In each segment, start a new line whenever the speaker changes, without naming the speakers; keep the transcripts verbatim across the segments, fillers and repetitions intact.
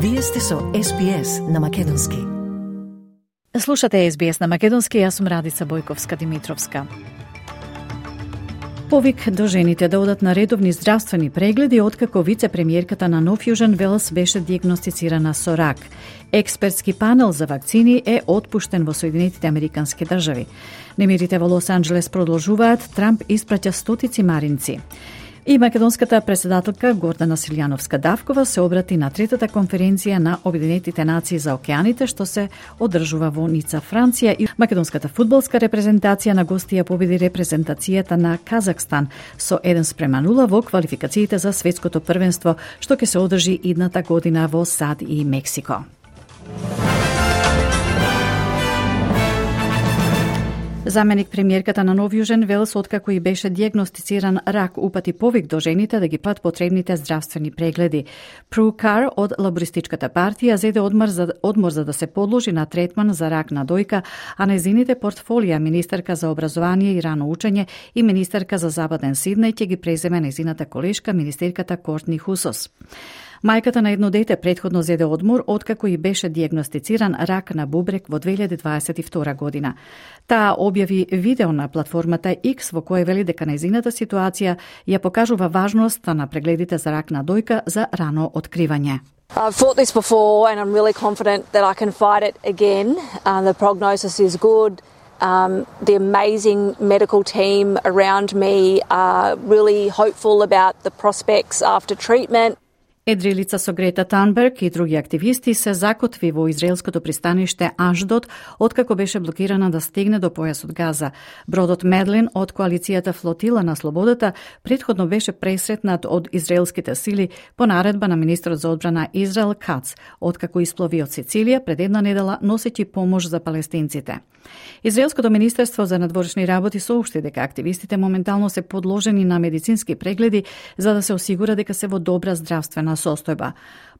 Вие сте со Ес Би Ес на Македонски.
Слушате Ес Би Ес на Македонски, јас сум Радица Бојковска-Димитровска. Повик до жените да одат на редовни здравствени прегледи откако вице-премиерката на Нов Јужен Велс беше диагностицирана со рак. Експертски панел за вакцини е отпуштен во Соединетите Американски држави. Немирите во Лос Анџелес продолжуваат, Трамп испраќа стотици маринци. И македонската председателка Гордана Силјановска-Давкова се обрати на третата конференција на Обединетите нации за океаните, што се одржува во Ница, Франција. И македонската фудбалска репрезентација на гости ја победи репрезентацијата на Казахстан со еден спрема нула во квалификациите за светското првенство, што ќе се одржи идната година во САД и Мексико. Заменик премиерката на Нов Јужен Велс, откако и беше диагностициран рак, упати повик до жените да ги пат потребните здравствени прегледи. Пру Кар од Лабористичката партија зеде одмор за, одмор за да се подложи на третман за рак на дојка, а нејзините портфолија, министерка за образование и рано учење и министерка за Западен Сиднеј, ќе ги преземе нејзината колешка, министерката Кортни Хусос. Мајката на едно дете претходно зеде одмор откако и беше диагностициран рак на бубрек во две илјади дваесет и втора година. Таа објави видео на платформата X во кое вели дека нејзината ситуација ја покажува важноста на прегледите за рак на дојка за рано откривање.
I've fought this before and I'm really confident that I can fight it again. Uh, the prognosis is good. Um, the amazing medical team around me are really hopeful about the prospects after treatment.
Едрилица со Грета Танберг и други активисти се закотви во израелското пристаниште Ашдод откако беше блокирана да стигне до појасот Газа. Бродот Медлин од коалицијата Флотила на слободата претходно беше пресретнат од израелските сили по наредба на министрот за одбрана Израел Кац, откако исплови од Сицилија пред една недела носејќи помош за палестинците. Израелското министерство за надворешни работи соопшти дека активистите моментално се подложени на медицински прегледи за да се осигура дека се во добра здравствена состојба.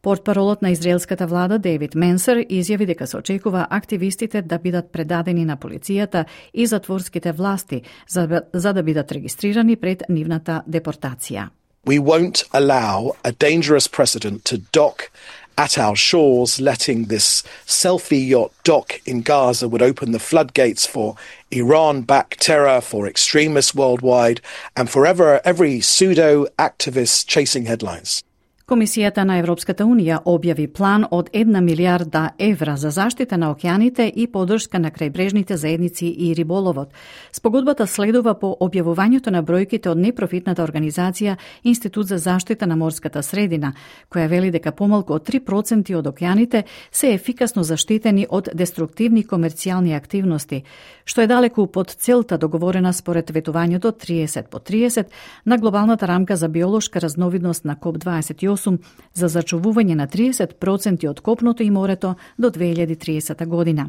Портпаролот на израелската влада Дейвид Менсер изјави дека се очекува активистите да бидат предадени на полицијата и затворските власти за, за да бидат регистрирани пред нивната депортација.
We won't allow a dangerous precedent to dock at our shores. Letting this selfie yacht dock in Gaza would open the floodgates for Iran-backed terror, for extremists worldwide, and for ever, every pseudo-activist chasing headlines.
Комисијата на Европската Унија објави план од една милијарда евра за заштита на океаните и поддршка на крајбрежните заедници и риболовот. Спогодбата следува по објавувањето на бројките од непрофитната организација Институт за заштита на морската средина, која вели дека помалку од три проценти од океаните се ефикасно заштитени од деструктивни комерцијални активности, што е далеку под целта договорена според ветувањето триесет по триесет на глобалната рамка за биолошка разновидност на КОП дваесет и осум за зачувување на триесет проценти од копното и морето до две илјади триесета година.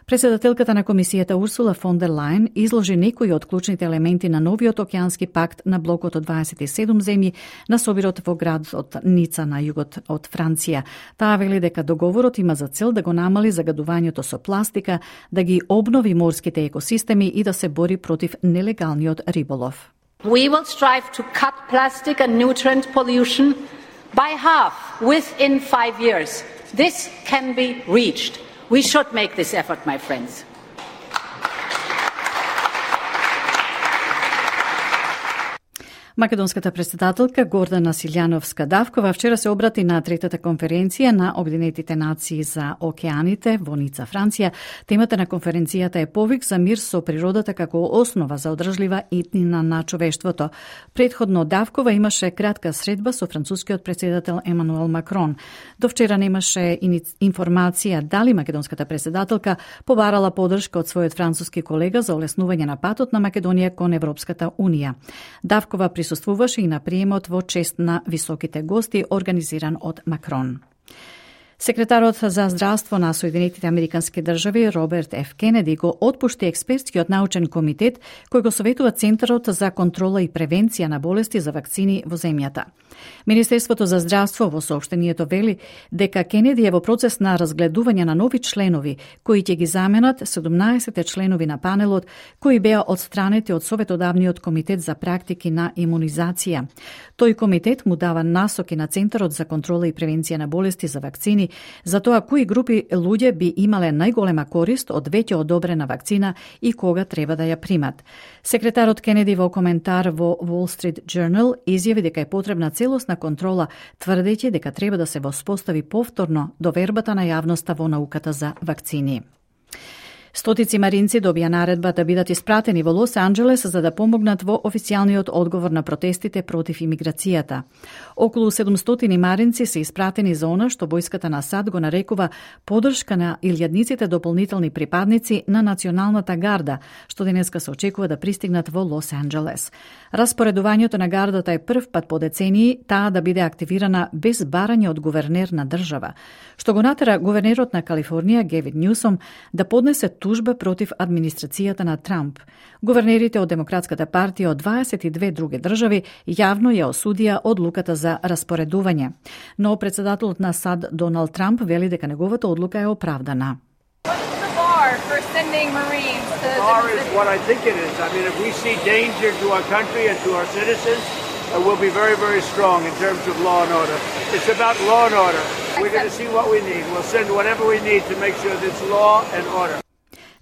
Председателката на комисијата Урсула фон дер Лајен изложи некои од клучните елементи на новиот океански пакт на блокот од дваесет и седум земји на собирот во градот Ница на југот од Франција. Таа вели дека договорот има за цел да го намали загадувањето со пластика, да ги обнови морските екосистеми и да се бори против нелегалниот риболов.
We will strive to cut plastic and nutrient pollution by half within five years. This can be reached. We should make this effort, my friends.
Македонската председателка Гордана Силјановска-Давкова вчера се обрати на третата конференција на Обединетите нации за океаните во Ница, Франција. Темата на конференцијата е повик за мир со природата како основа за одржлива иднина на човештвото. Предходно Давкова имаше кратка средба со францускиот претседател Емануел Макрон. До вчера немаше информација дали македонската председателка побарала поддршка од својот француски колега за олеснување на патот на Македонија кон Европската унија. Давкова присуствуваше и на приемот во чест на високите гости организиран од Макрон. Секретарот за здравство на Соединетите Американски држави Роберт Ф. Кенеди го отпушти експертскиот научен комитет кој го советува Центарот за контрола и превенција на болести за вакцини во земјата. Министерството за здравство во соопштението вели дека Кенеди е во процес на разгледување на нови членови кои ќе ги заменат седумнаесет членови на панелот кои беа одстранети од Советодавниот комитет за практики на имунизација. Тој комитет му дава насоки на Центарот за контрола и превенција на болести за вакцини за тоа кои групи луѓе би имале најголема корист од веќе одобрена вакцина и кога треба да ја примат. Секретарот Кенеди во коментар во Wall Street Journal изјави дека е потребна целосна контрола, тврдејќи дека треба да се воспостави повторно довербата на јавноста во науката за вакцини. Стотици маринци добија наредба да бидат испратени во Лос Анџелес за да помогнат во официјалниот одговор на протестите против имиграцијата. Околу седумстотини маринци се испратени за она што војската на САД го нарекува подршка на илјадниците дополнителни припадници на Националната гарда, што денеска се очекува да пристигнат во Лос Анџелес. Распоредувањето на гардата е прв пат по децении таа да биде активирана без барање од гувернер на држава, што го натера гувернерот на Калифорнија Гевин Њусом да поднесе тужба против администрацијата на Трамп. Гувернерите од Демократската партија од дваесет и две други држави јавно ја осудија одлуката за распоредување, но председателот на САД Доналд Трамп вели дека неговата одлука е оправдана.
Uh, will be very, very strong in terms of law and order. It's about law and order. We're going to see what we need. We'll send whatever we need to make sure there's law and order.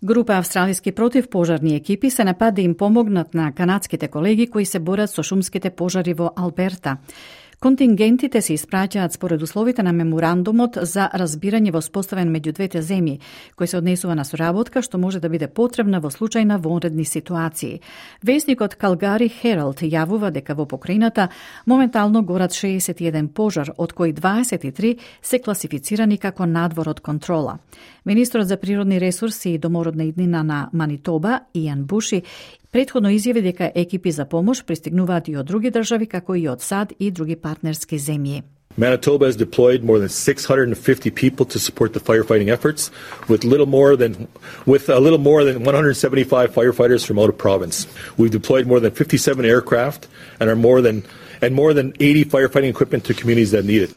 Група австралиски противпожарни екипи се напад да им помогнат на канадските колеги кои се борат со шумските пожари во Алберта. Контингентите се испраќаат според условите на меморандумот за разбирање воспоставен меѓу двете земји, кој се однесува на соработка што може да биде потребна во случај на вонредни ситуации. Весникот Калгари Хералд јавува дека во покрајината моментално горат шеесет и еден пожар, од кои дваесет и три се класифицирани како надвор од контрола. Министрот за природни ресурси и домородна иднина на Манитоба, Иан Буши, претходно изјави дека екипи за помош пристигнуваат и од други држави, како и од САД и други партнерски земји.
Manitoba has deployed more than six hundred fifty people to support the firefighting efforts, with little more than with a little more than one hundred seventy-five firefighters from out of province. We've deployed more than fifty-seven aircraft and are more than and more than eighty firefighting equipment to communities that need it.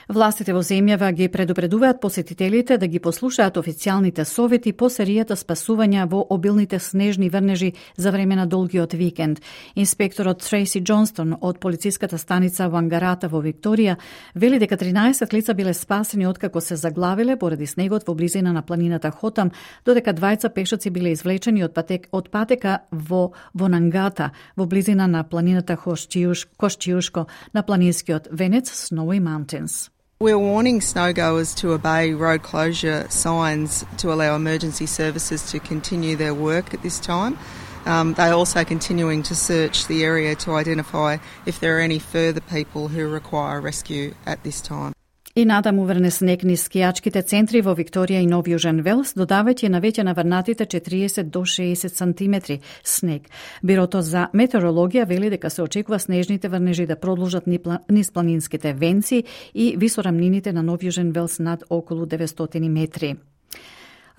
Властите во земјава ги предупредуваат посетителите да ги послушаат официјалните совети по серијата спасувања во обилните снежни врнежи за време на долгиот викенд. Инспекторот Трейси Џонстон од полициската станица Вангарата во Викторија вели дека тринаесет лица биле спасени откако се заглавиле поради снегот во близина на планината Хотам, додека двајца пешаци биле извлечени од, патек, од патека во Вонангата, во близина на планината Кошчиушко на планинскиот венец Snowy Mountains.
We're warning snowgoers to obey road closure signs to allow emergency services to continue their work at this time. Um, they're also continuing to search the area to identify if there are any further people who require rescue at this time.
И натаму врне снег низ скијачките центри во Викторија и Нов Јужен Велс, додавајќи на веќе наврнатите четириесет до шеесет сантиметри снег. Бирото за метеорологија вели дека се очекува снежните врнежи да продолжат низ планинските венци и висорамнините на Нов Јужен Велс над околу деветстотини метри.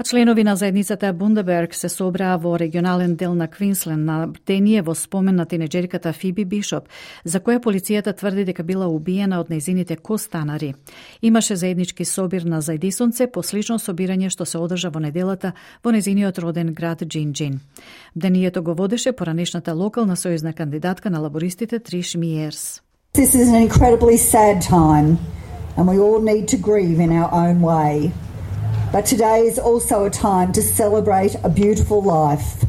А членови на заедницата Бундеберг се собраа во регионален дел на Квинсленд на бдение во спомен на тинеџерката Фиби Бишоп, за која полицијата тврди дека била убиена од нејзините костанари. Имаше заеднички собир на заедисонце по слично собирање што се одржа во неделата во нејзиниот роден град Џинџин. Бдението го водеше поранешната локална сојузна кандидатка на лабористите Триш Миерс.
This is an incredibly sad time and we all need to grieve in our own way. But today is also a time to celebrate a beautiful life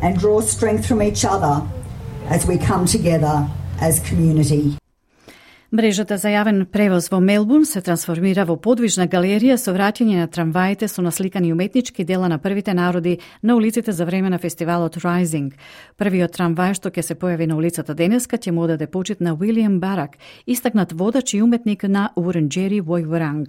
and draw strength from each other as we come together as community.
Мрежата за јавен превоз во Мелбурн се трансформира во подвижна галерија со враќање на трамваите со насликани уметнички дела на првите народи на улиците за време на фестивалот Rising. Првиот трамвај што ќе се појави на улицата денеска ќе му даде почит на Уилијам Барак, истакнат водач и уметник на Урунџери Војворанг.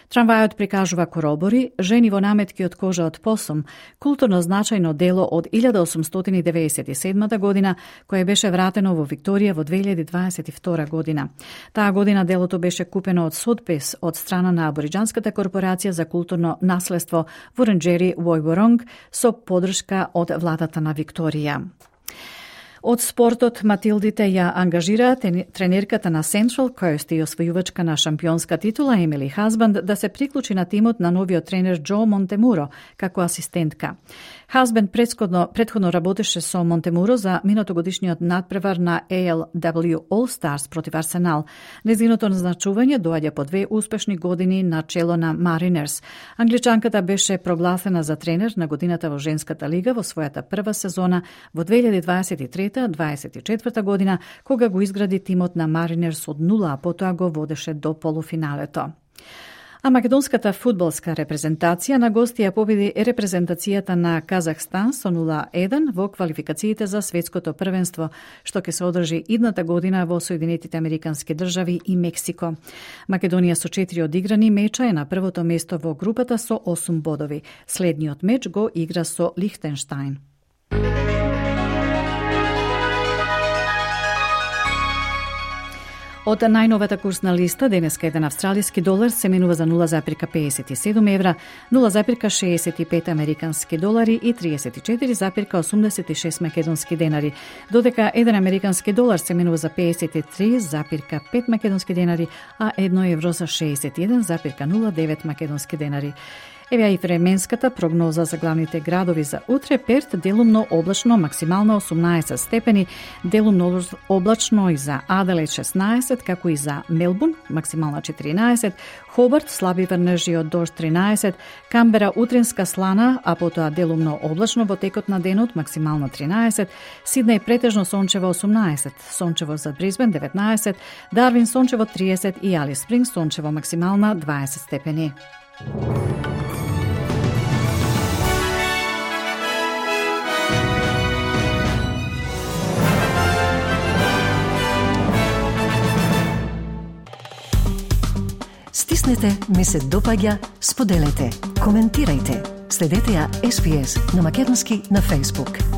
Трамвајот прикажува коробори, жени во наметки од кожа од посум, културно значајно дело од илјада осумстотини девеесет и седма година, кое беше вратено во Викторија во две илјади дваесет и втора година. Таа година делото беше купено од Сотбес од страна на Абориџанската корпорација за културно наследство Вурунџери Војворанг со поддршка од владата на Викторија. Од спортот Матилдите ја ангажираа тренерката на Central Coast и освојувачка на шампионска титула Емили Хазбанд да се приклучи на тимот на новиот тренер Џо Монтемуро како асистентка. Хазбанд предходно, предходно работеше со Монтемуро за минатогодишниот надпревар на A L W All Stars против Арсенал. Нејзиното назначување доаѓа по две успешни години на чело на Маринерс. Англичанката беше прогласена за тренер на годината во женската лига во својата прва сезона во две илјади дваесет и трета дваесет и четврта година, кога го изгради тимот на Маринерс од нула, а потоа го водеше до полуфиналето. А македонската фудбалска репрезентација на гости ја победи репрезентацијата на Казахстан со нула еден во квалификациите за светското првенство, што ќе се одржи идната година во Соединетите Американски држави и Мексико. Македонија со четири одиграни меча е на првото место во групата со осум бодови. Следниот меч го игра со Лихтенштајн. Од најновата курсна листа, денеска еден австралиски долар се менува за нула запирка педесет и седум евра, нула запирка шеесет и пет американски долари и триесет и четири запирка осумдесет и шест македонски денари, додека еден американски долар се менува за педесет и три запирка пет македонски денари, а едно евро за шеесет и еден запирка нула девет македонски денари. Еве и временската прогноза за главните градови за утре. Перт делумно облачно, максимално осумнаесет степени, делумно облачно и за Аделаид шеснаесет, како и за Мелбурн, максимално четиринаесет, Хобарт слаби врнежи од дожд тринаесет, Камбера утринска слана, а потоа делумно облачно во текот на денот, максимално тринаесет, Сиднеј претежно сончево осумнаесет, сончево за Брисбен деветнаесет, Дарвин сончево триесет и Алис Спрингс сончево максимална дваесет степени.
Стиснете, ми се допаѓа, споделете, коментирајте. Следете ја Ес Би Ес на македонски на Facebook.